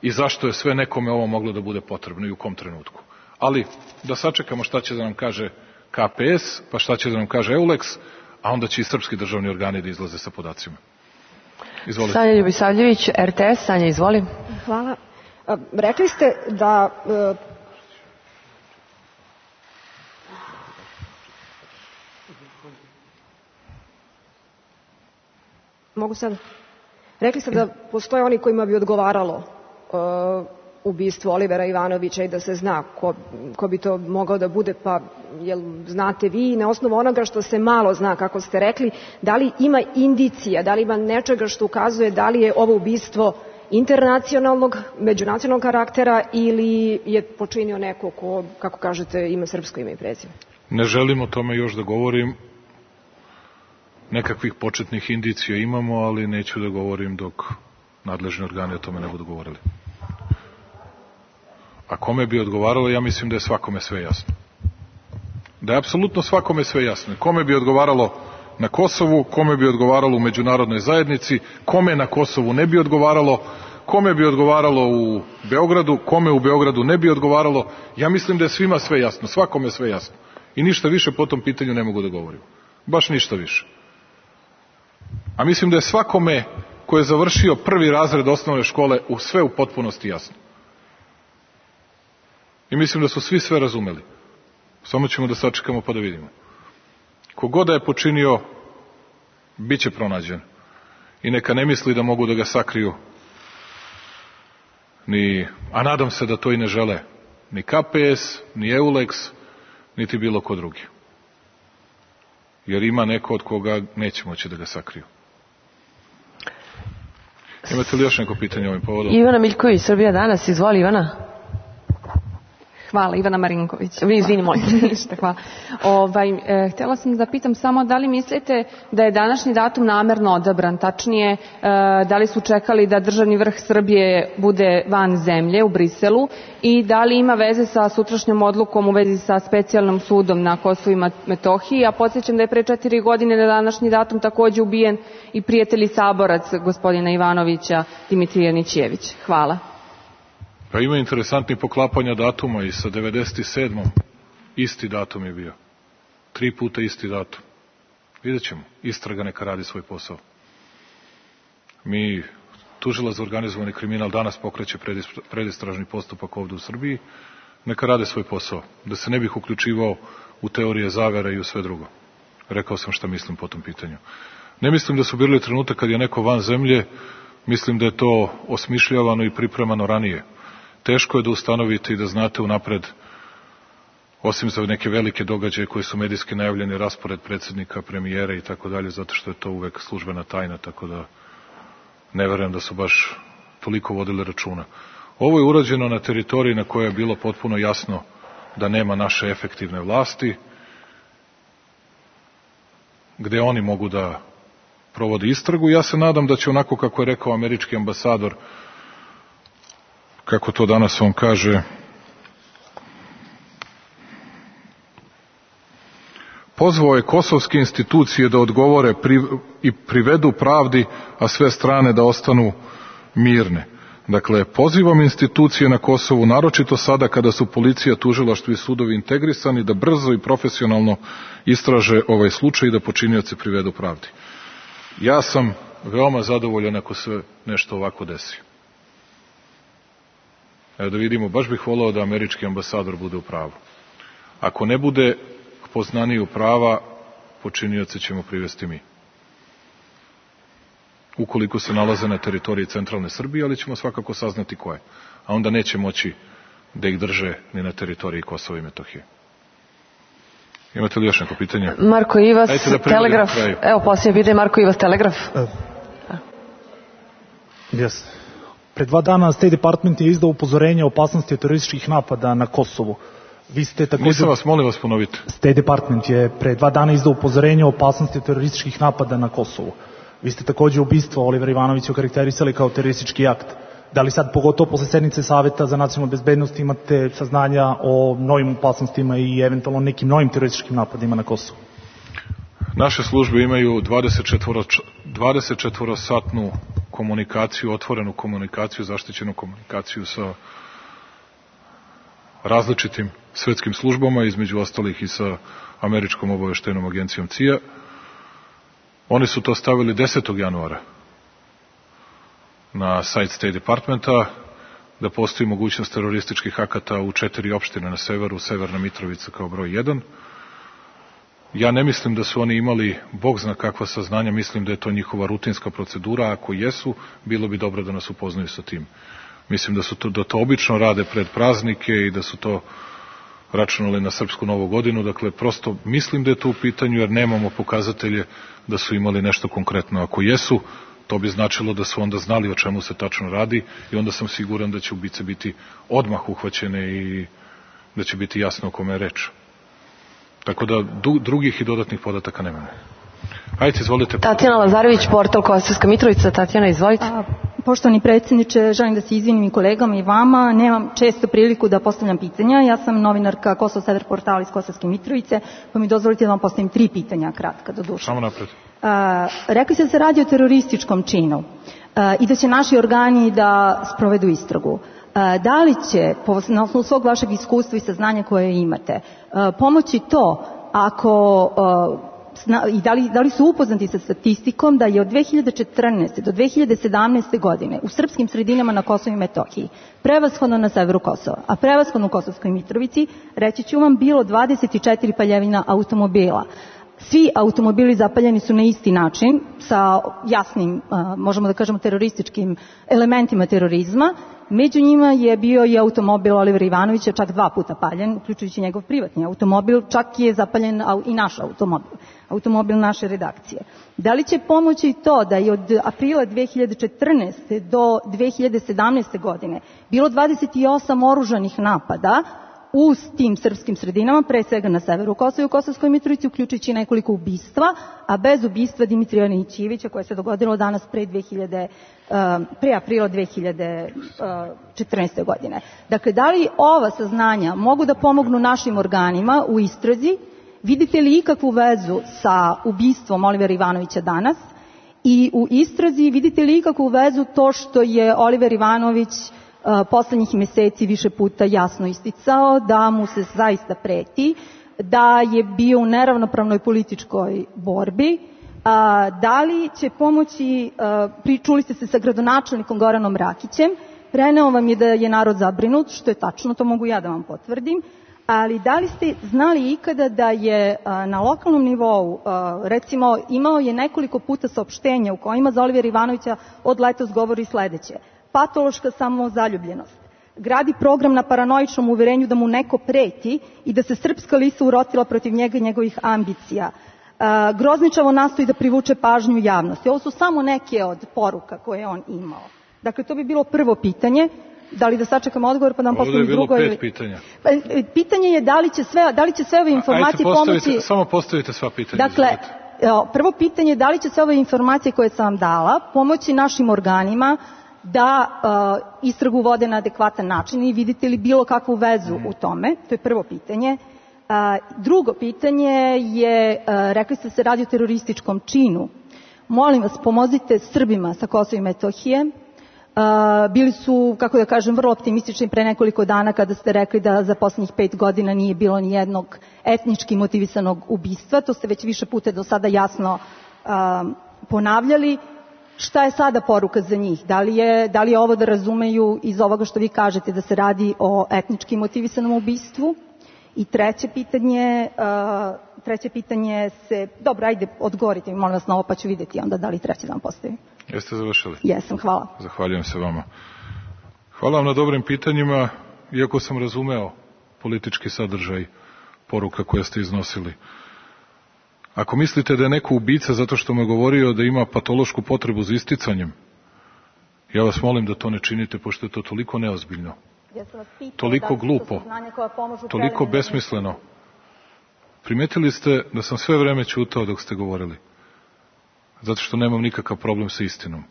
i zašto je sve nekome ovo moglo da bude potrebno i u kom trenutku. Ali da sačekamo šta će da nam kaže K P S, pa šta će da nam kaže EULEX, a onda će i srpski državni organi da izlaze sa podacima. Izvolite. Sanja Ljubisavljević, R T S. Sanja, izvoli. Hvala. Rekli ste da... Mogu sad? Rekli ste da postoje oni kojima bi odgovaralo uh, ubistvo Olivera Ivanovića i da se zna ko, ko bi to mogao da bude, pa jel znate vi na osnovu onoga što se malo zna, kako ste rekli, da li ima indicija, da li ima nečega što ukazuje da li je ovo ubistvo internacionalnog, međunacionalnog karaktera ili je počinio neko ko, kako kažete, ima srpsko ime i prezime? Ne želim o tome još da govorim. Nekakvih početnih indicija imamo, ali neću da govorim dok nadležni organi o tome ne budu govorili. A kome bi odgovaralo, ja mislim da je svakome sve jasno. Da je apsolutno svakome sve jasno. Kome bi odgovaralo na Kosovu, kome bi odgovaralo u međunarodnoj zajednici, kome na Kosovu ne bi odgovaralo, kome bi odgovaralo u Beogradu, kome u Beogradu ne bi odgovaralo. Ja mislim da je svima sve jasno, svakome sve jasno. I ništa više po tom pitanju ne mogu da govorim. Baš ništa više. A mislim da je svakome ko je završio prvi razred osnovne škole u sve u potpunosti jasno. I mislim da su svi sve razumeli. Samo ćemo da sačekamo pa da vidimo. Kogod da je počinio, bit će pronađen. I neka ne misli da mogu da ga sakriju, ni, a nadam se da to i ne žele, ni K P S, ni Euleks, niti bilo ko drugi. Jer ima neko od koga neće moći da ga sakriju. Imate li još neko pitanje ovim povodom? Ivana Miljković, Srbija danas. Izvoli, Ivana. Hvala, Ivana Marinković. Vi izvini, molim. Ništa, hvala. Ovaj, e, htjela sam da pitam samo da li mislite da je današnji datum namerno odabran, tačnije e, da li su čekali da državni vrh Srbije bude van zemlje u Briselu i da li ima veze sa sutrašnjom odlukom u vezi sa specijalnom sudom na Kosovu i Metohiji, a podsjećam da je pre četiri godine na današnji datum takođe ubijen i prijatelj i saborac gospodina Ivanovića, Dimitrije Nićijević. Hvala. Pa ima interesantnih poklapanja datuma i sa devedeset sedmom isti datum je bio. Tri puta isti datum. Vidjet ćemo. Istraga neka radi svoj posao. Mi, tužilac za organizovani kriminal, danas pokreće predistražni postupak ovde u Srbiji. Neka rade svoj posao. Da se ne bih uključivao u teorije zavere i u sve drugo. Rekao sam šta mislim po tom pitanju. Ne mislim da su bili trenutak kad je neko van zemlje. Mislim da je to osmišljavano i pripremano ranije. Teško je da ustanovite i da znate unapred, osim za neke velike događaje koji su medijski najavljeni, raspored predsjednika, premijera i tako dalje, zato što je to uvek službena tajna, tako da ne verujem da su baš toliko vodili računa. Ovo je urađeno na teritoriji na kojoj je bilo potpuno jasno da nema naše efektivne vlasti, gde oni mogu da provode istragu. Ja se nadam da će onako kako je rekao američki ambasador, kako to danas on kaže, pozvao je kosovske institucije da odgovore i privedu pravdi, a sve strane da ostanu mirne. Dakle, pozivam institucije na Kosovu, naročito sada kada su policija, tužilaštvo i sudovi integrisani, da brzo i profesionalno istraže ovaj slučaj i da počinioce privedu pravdi. Ja sam veoma zadovoljan ako se nešto ovako desi. Evo da vidimo, baš bih volao da američki ambasador bude u pravu. Ako ne bude poznaniju prava, počinioce ćemo privesti mi. Ukoliko se nalaze na teritoriji centralne Srbije, ali ćemo svakako saznati ko je. A onda neće moći da ih drže ni na teritoriji Kosova i Metohije. Imate li još neko pitanje? Marko Ivas, da Telegraf. Evo, posljednje pitanje, Marko Ivas, Telegraf. Uh, yes. Pre dva dana State Department je izdao upozorenje o opasnosti terorističkih napada na Kosovu. Vi ste također... Nisam vas, molim vas ponoviti. State Department je pre dva dana izdao upozorenje o opasnosti terorističkih napada na Kosovu. Vi ste također ubistvo Olivera Ivanovića okarakterisali kao teroristički akt. Da li sad, pogotovo posle sednice Saveta za nacionalnu bezbednost, imate saznanja o novim opasnostima i eventualno nekim novim terorističkim napadima na Kosovu? Naše službe imaju dvadeset četvoro satnu komunikaciju, otvorenu komunikaciju, zaštićenu komunikaciju sa različitim svetskim službama, između ostalih i sa američkom obaveštajnom agencijom C I A. Oni su to stavili desetog januara na sajt State Departmenta, da postoji mogućnost terorističkih akata u četiri opštine na severu, Severna Mitrovica kao broj jedan. Ja ne mislim da su oni imali, Bog zna kakva saznanja, mislim da je to njihova rutinska procedura, a ako jesu, bilo bi dobro da nas upoznaju sa tim. Mislim da su to, da to obično rade pred praznike i da su to računali na srpsku novu godinu, dakle prosto mislim da je to u pitanju jer nemamo pokazatelje da su imali nešto konkretno. Ako jesu, to bi značilo da su onda znali o čemu se tačno radi i onda sam siguran da će ubice biti odmah uhvaćene i da će biti jasno o kome je reč. Tako da drugih i dodatnih podataka nemamo. Ajde, izvolite. Tatjana Lazarević, portal Kosovska Mitrovica. Tatjana, izvolite. A, poštovani predsjedniče, želim da se izvinim i kolegama i vama. Nemam često priliku da postavljam pitanja. Ja sam novinarka Kosovo Sedar portala iz Kosovske Mitrovice, pa mi dozvolite da vam postavim tri pitanja kratka do duše. Samo napred. A, rekli ste da se radi o terorističkom činu a, i da će naši organi da sprovedu istragu. Da li će, na osnovu svog vašeg iskustva i saznanja koje imate, pomoći to ako i da li, da li su upoznati sa statistikom da je od dve hiljade četrnaeste do dve hiljade sedamnaeste godine u srpskim sredinama na Kosovu i Metohiji, prevashodno na severu Kosova, a prevashodno u Kosovskoj Mitrovici, reći ću vam, bilo dvadeset četiri paljevina automobila. Svi automobili zapaljeni su na isti način, sa jasnim, možemo da kažemo, terorističkim elementima terorizma. Među njima je bio i automobil Olivera Ivanovića, čak dva puta paljen, uključujući njegov privatni automobil, čak je zapaljen i naš automobil, automobil naše redakcije. Da li će pomoći to da je od aprila dve hiljade četrnaeste do dve hiljade sedamnaeste godine bilo dvadeset osam oružanih napada u tim srpskim sredinama, pre svega na severu Kosova i u Kosovskoj Mitrovici, uključujući nekoliko ubistva, a bez ubistva Dimitrija Nićijevića, koje se dogodilo danas pre, dve hiljade, pre aprila dve hiljade četrnaeste. godine. Dakle, da li ova saznanja mogu da pomognu našim organima u istrazi? Vidite li ikakvu vezu sa ubistvom Olivera Ivanovića danas? I u istrazi vidite li ikakvu vezu to što je Oliver Ivanović poslednjih meseci više puta jasno isticao da mu se zaista preti, da je bio u neravnopravnoj političkoj borbi? Da li će pomoći, čuli ste se sa gradonačelnikom Goranom Rakićem, preneo vam je da je narod zabrinut, što je tačno, to mogu ja da vam potvrdim, ali da li ste znali ikada da je na lokalnom nivou, recimo, imao je nekoliko puta saopštenja u kojima za Olivera Ivanovića od letos govori sledeće: patološka samozaljubljenost, gradi program na paranoičnom uverenju da mu neko preti i da se srpska lisa urotila protiv njega i njegovih ambicija, grozničavo nastoji da privuče pažnju javnosti. Ovo su samo neke od poruka koje je on imao. Dakle, to bi bilo prvo pitanje. Da li da sačekam odgovor pa da vam postavim drugo? Ovdje je bilo pet pitanja. Pitanje je da li će sve, da li će sve ove informacije pomoći... Samo postavite sva pitanja. Dakle, prvo pitanje je da li će sve ove informacije koje sam vam dala pomoći našim organima da uh, istragu vode na adekvatan način i vidite li bilo kakvu vezu mm. u tome? To je prvo pitanje. Uh, drugo pitanje je, uh, rekli ste se radi o terorističkom činu. Molim vas, pomozite Srbima sa Kosova i Metohije. Uh, bili su, kako da kažem, vrlo optimistični pre nekoliko dana kada ste rekli da za poslednjih pet godina nije bilo ni jednog etnički motivisanog ubistva. To ste već više puta do sada jasno uh, ponavljali. Šta je sada poruka za njih? Da li je, da li je ovo da razumeju iz ovoga što vi kažete da se radi o etnički motivisanom ubistvu? I treće pitanje, uh, treće pitanje se, dobro, ajde, odgovorite mi, molim vas na ovo, pa ću vidjeti onda da li treće da vam postavim. Jeste završili? Jesam, hvala. Zahvaljujem se vama. Hvala vam na dobrim pitanjima, iako sam razumeo politički sadržaj poruka koje ste iznosili. Ako mislite da je neko ubica zato što me govorio da ima patološku potrebu za isticanjem, ja vas molim da to ne činite, pošto je to toliko neozbiljno, ja sam vas pitao, toliko glupo, toliko besmisleno. Primetili ste da sam sve vreme ćutao dok ste govorili, zato što nemam nikakav problem sa istinom.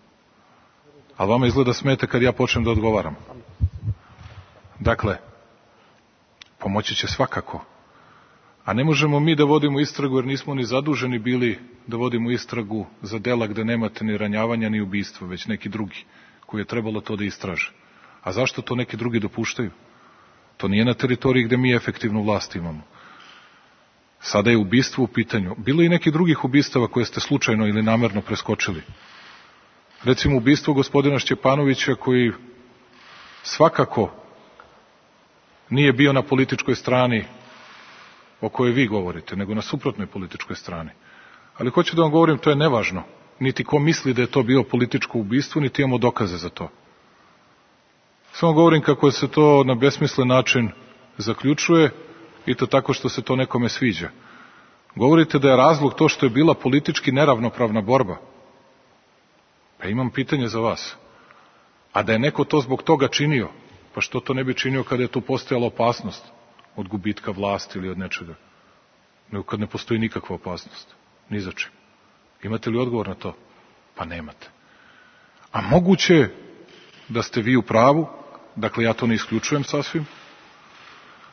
Ali vama izgleda smete kad ja počnem da odgovaram. Dakle, pomoći će svakako. A ne možemo mi da vodimo istragu jer nismo ni zaduženi bili da vodimo istragu za dela gde nemate ni ranjavanja ni ubistva, već neki drugi koji je trebalo to da istraže. A zašto to neki drugi dopuštaju? To nije na teritoriji gde mi efektivnu vlast imamo. Sada je ubistvo u pitanju. Bilo je i nekih drugih ubistava koje ste slučajno ili namerno preskočili. Recimo ubistvo gospodina Šćepanovića koji svakako nije bio na političkoj strani o kojoj vi govorite, nego na suprotnoj političkoj strani. Ali hoću da vam govorim, to je nevažno. Niti ko misli da je to bio političko ubistvo, niti imamo dokaze za to. Samo govorim kako se to na besmislen način zaključuje i to tako što se to nekome sviđa. Govorite da je razlog to što je bila politički neravnopravna borba. Pa imam pitanje za vas. A da je neko to zbog toga činio, pa što to ne bi činio kada je tu postojala opasnost od gubitka vlasti ili od nečega? Nego kad ne postoji nikakva opasnost. Ni za čim. Imate li odgovor na to? Pa nemate. A moguće da ste vi u pravu, dakle ja to ne isključujem sasvim,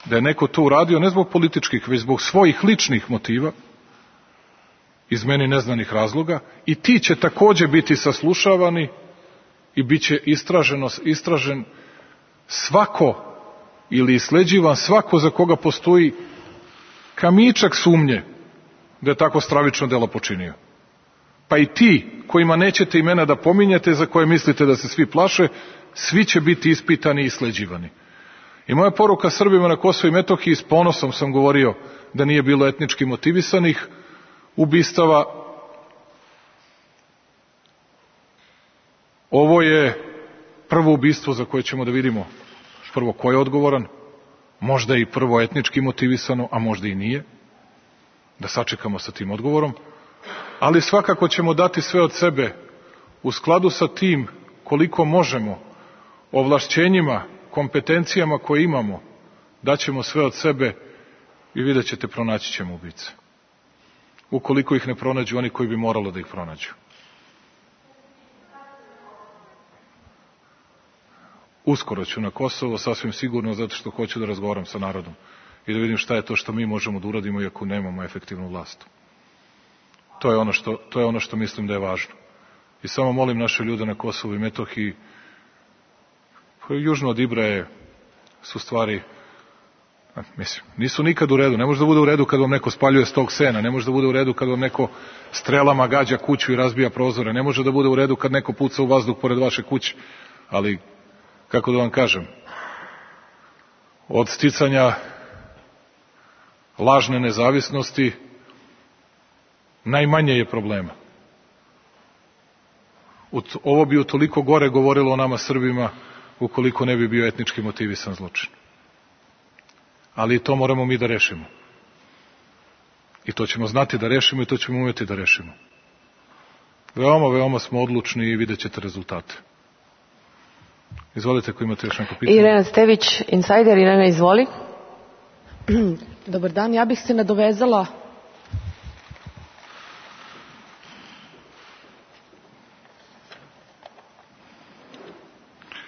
da je neko to uradio ne zbog političkih, već zbog svojih ličnih motiva, iz meni neznanih razloga, i ti će takođe biti saslušavani i bit će istraženo, istražen svako ili isleđivan svako za koga postoji kamičak sumnje da je tako stravično delo počinio. Pa i ti kojima nećete imena da pominjete, za koje mislite da se svi plaše, svi će biti ispitani i isleđivani. I moja poruka Srbima na Kosovu i Metohiji, s ponosom sam govorio da nije bilo etnički motivisanih ubistava. Ovo je prvo ubistvo za koje ćemo da vidimo prvo ko je odgovoran, možda i prvo etnički motivisano, a možda i nije, da sačekamo sa tim odgovorom, ali svakako ćemo dati sve od sebe u skladu sa tim koliko možemo, ovlašćenjima, kompetencijama koje imamo, daćemo sve od sebe i vidjet ćete, pronaći ćemo ubice. Ukoliko ih ne pronađu oni koji bi moralo da ih pronađu. Uskoro ću na Kosovo, sasvim sigurno, zato što hoću da razgovaram sa narodom i da vidim šta je to što mi možemo da uradimo iako nemamo efektivnu vlast. To je ono što, to je ono što mislim da je važno. I samo molim naše ljude na Kosovu i Metohiji, južno od Ibraje su stvari, mislim, nisu nikad u redu. Ne može da bude u redu kad vam neko spaljuje stog sena, ne može da bude u redu kad vam neko strelama gađa kuću i razbija prozore, ne može da bude u redu kad neko puca u vazduh pored vaše kuće, ali kako da vam kažem, od sticanja lažne nezavisnosti najmanje je problema. Ovo bi utoliko gore govorilo o nama Srbima ukoliko ne bi bio etnički motivisan zločin. Ali i to moramo mi da rešimo. I to ćemo znati da rešimo i to ćemo umeti da rešimo. Veoma, veoma smo odlučni i vidjet ćete rezultate. Izvolite ako imate još neko pitanje. Irena Stević, Insider. Irena, izvoli. Dobar dan, ja bih se nadovezala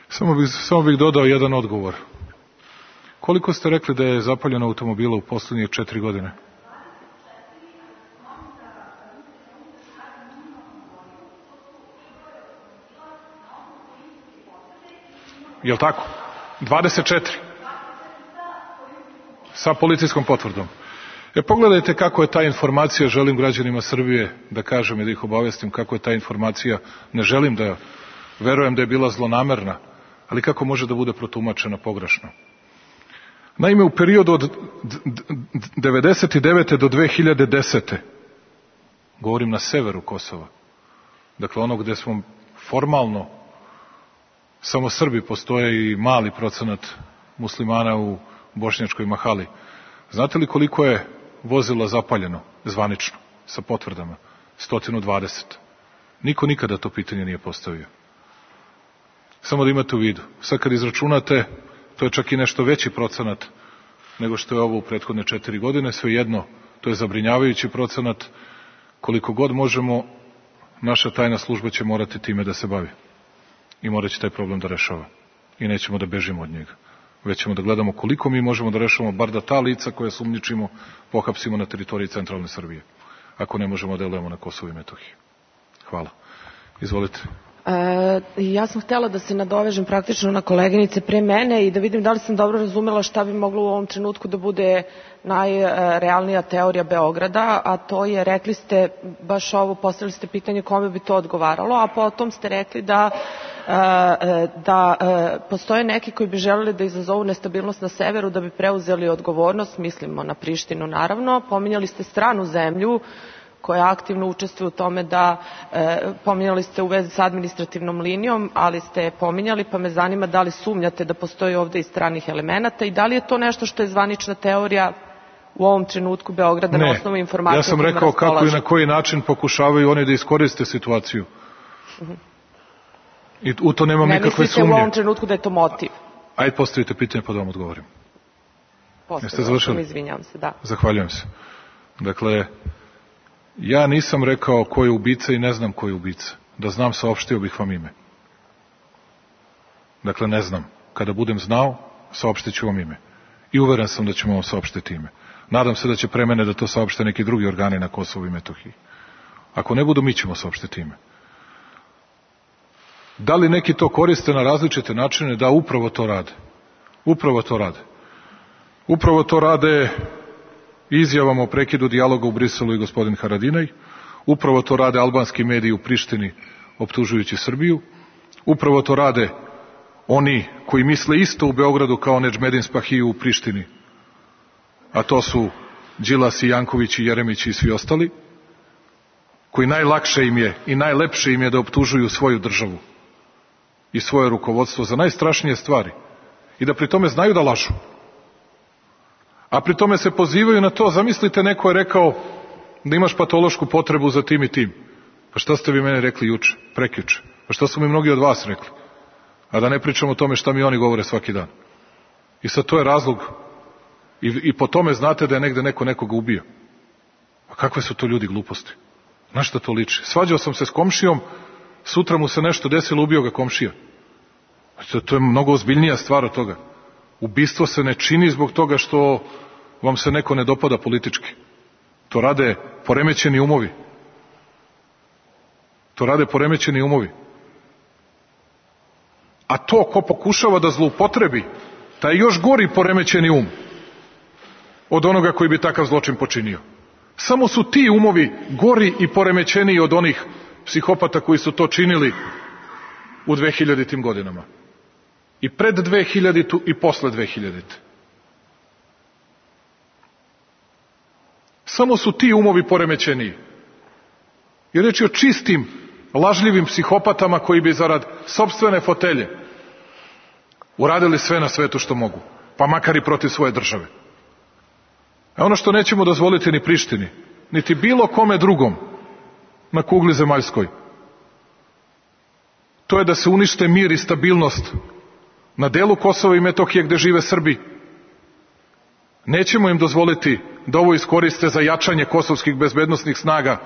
Samo bih, samo bih dodao jedan odgovor. Koliko ste rekli da je zapaljeno automobila u poslednje četiri godine? Jel tako? dvadeset četiri. Sa policijskom potvrdom. E, pogledajte kako je ta informacija, želim građanima Srbije da kažem i da ih obavestim kako je ta informacija, ne želim da verujem da je bila zlonamerna, ali kako može da bude protumačena pogrešno. Naime, u periodu od devedeset devete do dve hiljade desete. govorim na severu Kosova, dakle ono gde smo formalno samo Srbi, postoje i mali procenat muslimana u bošnjačkoj mahali. Znate li koliko je vozila zapaljeno zvanično sa potvrdama? sto dvadeset. Niko nikada to pitanje nije postavio. Samo da imate u vidu. Sad kad izračunate, to je čak i nešto veći procenat nego što je ovo u prethodne četiri godine. Svejedno, to je zabrinjavajući procenat. Koliko god možemo, naša tajna služba će morati time da se bavi. I morat će taj problem da rešava. I nećemo da bežimo od njega. Već ćemo da gledamo koliko mi možemo da rešavamo, bar da ta lica koja sumnjičimo pohapsimo na teritoriji centralne Srbije. Ako ne možemo, delujemo na Kosovu i Metohiji. Hvala. Izvolite. E, ja sam htjela da se nadovežem praktično na koleginice pre mene i da vidim da li sam dobro razumela šta bi moglo u ovom trenutku da bude najrealnija teorija Beograda, a to je, rekli ste baš ovo, postavili ste pitanje kome bi to odgovaralo, a potom ste rekli da da postoje neki koji bi želeli da izazovu nestabilnost na severu da bi preuzeli odgovornost, mislimo na Prištinu naravno. Pominjali ste stranu zemlju koja aktivno učestvuje u tome da, e, pominjali ste u vezi s administrativnom linijom, ali ste pominjali, pa me zanima da li sumnjate da postoji ovde i stranih elemenata i da li je to nešto što je zvanična teorija u ovom trenutku Beograda ne, na osnovu informacija? Ja sam rekao kako i na koji način pokušavaju oni da iskoriste situaciju. Uh-huh. I u to nemam ne nikakve sumnje. Ne mislite u ovom trenutku da je to motiv? Ajde, postavite pitanje pa da vam odgovorim. Jeste završili? Izvinjavam se, da. Zahvaljujem se. Dakle, ja nisam rekao ko je ubica i ne znam ko je ubica. Da znam, saopštio bih vam ime. Dakle, ne znam. Kada budem znao, saopštit ću vam ime. I uveren sam da ćemo vam saopštiti ime. Nadam se da će pre mene da to saopšte neki drugi organi na Kosovu i Metohiji. Ako ne budu, mi ćemo saopštiti ime. Da li neki to koriste na različite načine? Da, upravo to rade. Upravo to rade. Upravo to rade izjavama o prekidu dijaloga u Briselu i gospodin Haradinaj. Upravo to rade albanski mediji u Prištini optužujući Srbiju. Upravo to rade oni koji misle isto u Beogradu kao Nedžmedin Spahiju u Prištini. A to su Đilas i Janković i Jeremić i svi ostali, koji najlakše im je i najlepše im je da optužuju svoju državu i svoje rukovodstvo za najstrašnije stvari i da pri tome znaju da lažu. A pri tome se pozivaju na to, zamislite, neko je rekao da imaš patološku potrebu za tim i tim. Pa šta ste vi mene rekli juče, prekjuče? Pa šta su mi mnogi od vas rekli? A da ne pričamo o tome šta mi oni govore svaki dan. I sad to je razlog i, i po tome znate da je negde neko nekoga ubio. A kakve su to ljudi gluposti? Na šta to liči? Svađao sam se s komšijom, sutra mu se nešto desilo, ubio ga komšija. To, to je mnogo ozbiljnija stvar od toga. Ubistvo se ne čini zbog toga što vam se neko ne dopada politički. To rade poremećeni umovi. To rade poremećeni umovi. A to ko pokušava da zloupotrebi, taj još gori poremećeni um od onoga koji bi takav zločin počinio. Samo su ti umovi gori i poremećeniji od onih psihopata koji su to činili u dvehiljaditim godinama. I pred dvehiljaditu i posle dvehiljadite. Samo su ti umovi poremećeniji. I reč je o čistim, lažljivim psihopatama koji bi zarad sopstvene fotelje uradili sve na svetu što mogu, pa makar i protiv svoje države. A ono što nećemo dozvoliti ni Prištini, niti bilo kome drugom na kugli zemaljskoj, to je da se unište mir i stabilnost na delu Kosova i Metohije gde žive Srbi. Nećemo im dozvoliti da ovo iskoriste za jačanje kosovskih bezbednosnih snaga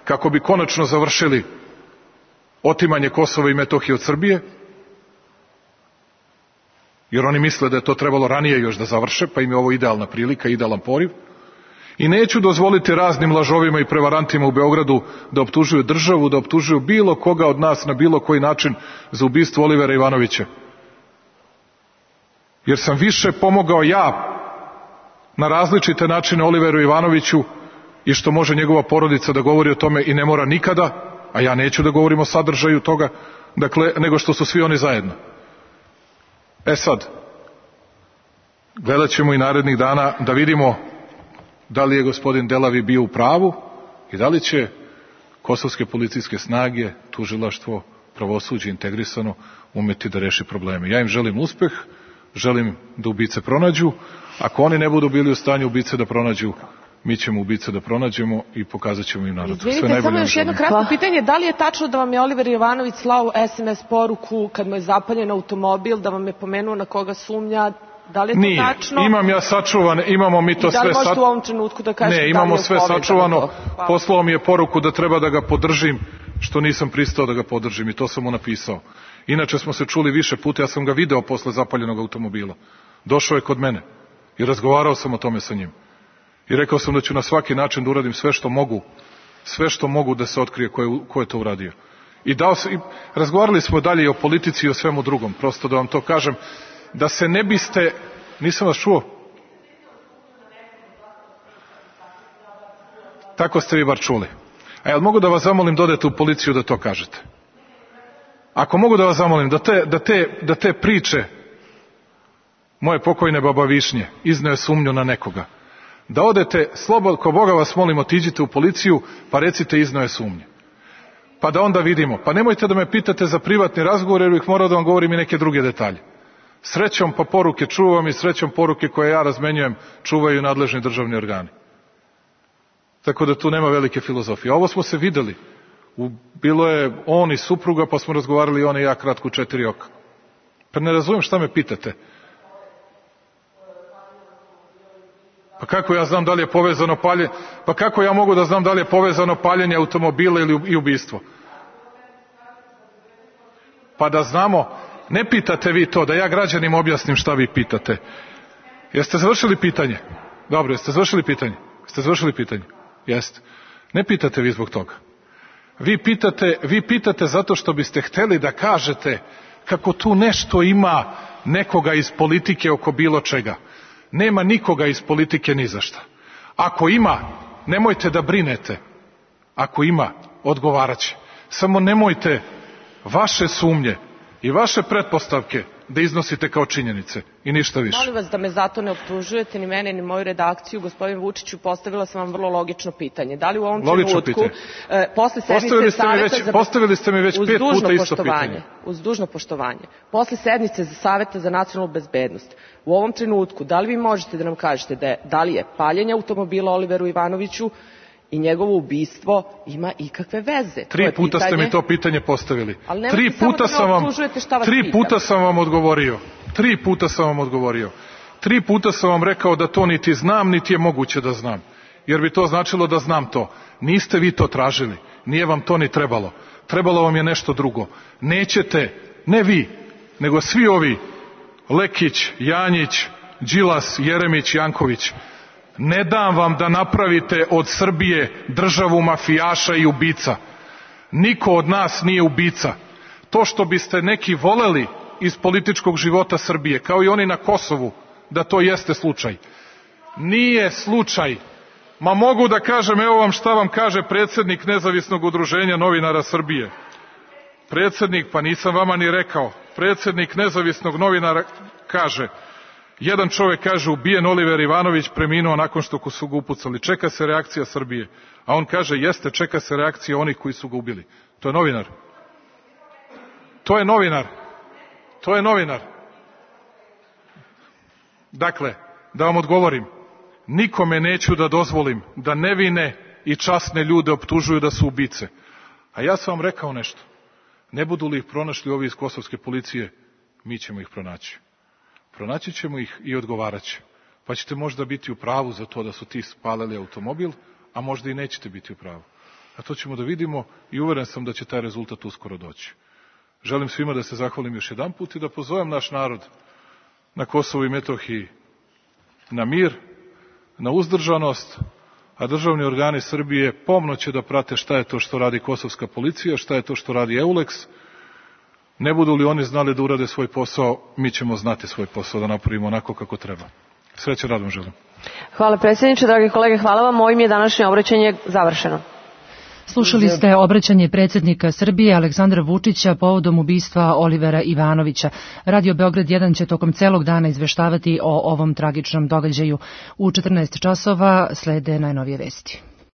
kako bi konačno završili otimanje Kosova i Metohije od Srbije, jer oni misle da je to trebalo ranije još da završe, pa im je ovo idealna prilika, idealan poriv. I neću dozvoliti raznim lažovima i prevarantima u Beogradu da optužuju državu, da optužuju bilo koga od nas na bilo koji način za ubistvo Olivera Ivanovića. Jer sam više pomogao ja na različite načine Oliveru Ivanoviću i što može njegova porodica da govori o tome i ne mora nikada, a ja neću da govorim o sadržaju toga, dakle, nego što su svi oni zajedno. E sad, gledat ćemo i narednih dana da vidimo da li je gospodin Delavi bio u pravu i da li će kosovske policijske snage, tužilaštvo, pravosuđe integrisano umeti da reši probleme. Ja im želim uspeh, želim da ubice pronađu. Ako oni ne budu bili u stanju ubice da pronađu, mi ćemo ubice da pronađemo i pokazat ćemo im narodu. Izvinite, samo još jedno kratko pitanje. Da li je tačno da vam je Oliver Ivanović slao es em es poruku kad mu je zapaljen automobil, da vam je pomenuo na koga sumnja? Da li je to Nije. tačno? Imam ja sačuvane, imamo mi to sve... I da li možete u ovom trenutku da kažete ne, imamo da sve sačuvano. Poslao mi je poruku da treba da ga podržim, što nisam pristao da ga podržim i to sam mu napisao. Inače smo se čuli više puta, ja sam ga video posle zapaljenog automobila. Došao je kod mene i razgovarao sam o tome sa njim. I rekao sam da ću na svaki način da uradim sve što mogu, sve što mogu da se otkrije ko je, ko je to uradio. I, dao sam, i razgovarali smo dalje i o politici i o svemu drugom, prosto da vam to kažem, da se ne biste, nisam vas čuo, tako ste vi bar čuli. A jel mogu da vas zamolim da odete u policiju da to kažete? Ako mogu da vas zamolim da te, da te, da te priče moje pokojne baba Višnje izneo sumnju na nekoga, da odete, slobodno, ko Boga vas molim, otiđite u policiju, pa recite izneo je sumnje. Pa da onda vidimo. Pa nemojte da me pitate za privatni razgovor, jer uvijek mora da vam govorim i neke druge detalje. Srećom pa poruke čuvam i srećom poruke koje ja razmenjujem čuvaju nadležni državni organi. Tako da tu nema velike filozofije. Ovo smo se videli. U, bilo je on i supruga, pa smo razgovarali on i ja kratko u četiri oka. Pa ne razumijem šta me pitate. Pa kako ja znam da li je povezano paljenje? Pa kako ja mogu da znam da li je povezano paljenje automobila ili i ubistvo? Pa da znamo, ne pitate vi to, da ja građanima objasnim šta vi pitate. Jeste završili pitanje? Dobro, jeste završili pitanje? Jeste završili pitanje? Jeste. Ne pitate vi zbog toga. Vi pitate, vi pitate zato što biste hteli da kažete kako tu nešto ima nekoga iz politike oko bilo čega. Nema nikoga iz politike ni za šta. Ako ima, nemojte da brinete. Ako ima, odgovarat će. Samo nemojte vaše sumnje i vaše pretpostavke da iznosite kao činjenice i ništa više. Molim vas da me zato ne optužujete ni mene ni moju redakciju. Gospodin Vučiću, postavila sam vam vrlo logično pitanje. Da li u ovom trenutku e, posle sednice Saveta za... Postavili ste mi već pet puta isto pitanje. Uz dužno poštovanje. Posle sednice za Saveta za nacionalnu bezbednost, u ovom trenutku, da li vi možete da nam kažete da, je, da li je paljenje automobila Oliveru Ivanoviću i njegovo ubistvo ima ikakve veze? Tri puta pitanje... ste mi to pitanje postavili. Tri puta, sam vam, tri puta sam vam odgovorio. Tri puta sam vam odgovorio. Tri puta sam vam rekao da to niti znam, niti je moguće da znam. Jer bi to značilo da znam to. Niste vi to tražili. Nije vam to ni trebalo. Trebalo vam je nešto drugo. Nećete, ne vi, nego svi ovi, Lekić, Janjić, Đilas, Jeremić, Janković, ne dam vam da napravite od Srbije državu mafijaša i ubica. Niko od nas nije ubica. To što biste neki voleli iz političkog života Srbije, kao i oni na Kosovu, da to jeste slučaj. Nije slučaj. Ma mogu da kažem, evo vam šta vam kaže predsjednik Nezavisnog udruženja novinara Srbije. Predsjednik, pa nisam vama ni rekao, predsjednik Nezavisnog novinara kaže, jedan čovjek kaže ubijen Oliver Ivanović, preminuo nakon što su ga upucali. Čeka se reakcija Srbije. A on kaže jeste, čeka se reakcija onih koji su ga ubili. To je novinar. To je novinar. To je novinar. Dakle, da vam odgovorim, nikome neću da dozvolim da nevine i časne ljude optužuju da su ubice. A ja sam vam rekao nešto. Ne budu li ih pronašli ovi iz kosovske policije, mi ćemo ih pronaći. Pronaći ćemo ih i odgovarat će. Pa ćete možda biti u pravu za to da su ti spalili automobil, a možda i nećete biti u pravu. A to ćemo da vidimo i uveren sam da će taj rezultat uskoro doći. Želim svima da se zahvalim još jedan put i da pozovem naš narod na Kosovu i Metohiji na mir, na uzdržanost, a državni organi Srbije pomno će da prate šta je to što radi kosovska policija, šta je to što radi Euleks. Ne budu li oni znali da urade svoj posao, mi ćemo znati svoj posao da napravimo onako kako treba. Srećan rad vam želim. Hvala predsjedniče, dragi kolege, hvala vam. Ovim je današnje obraćanje završeno. Slušali ste obraćanje predsjednika Srbije Aleksandra Vučića povodom ubistva Olivera Ivanovića. Radio Beograd jedan će tokom celog dana izveštavati o ovom tragičnom događaju. U četrnaest časova slede najnovije vesti.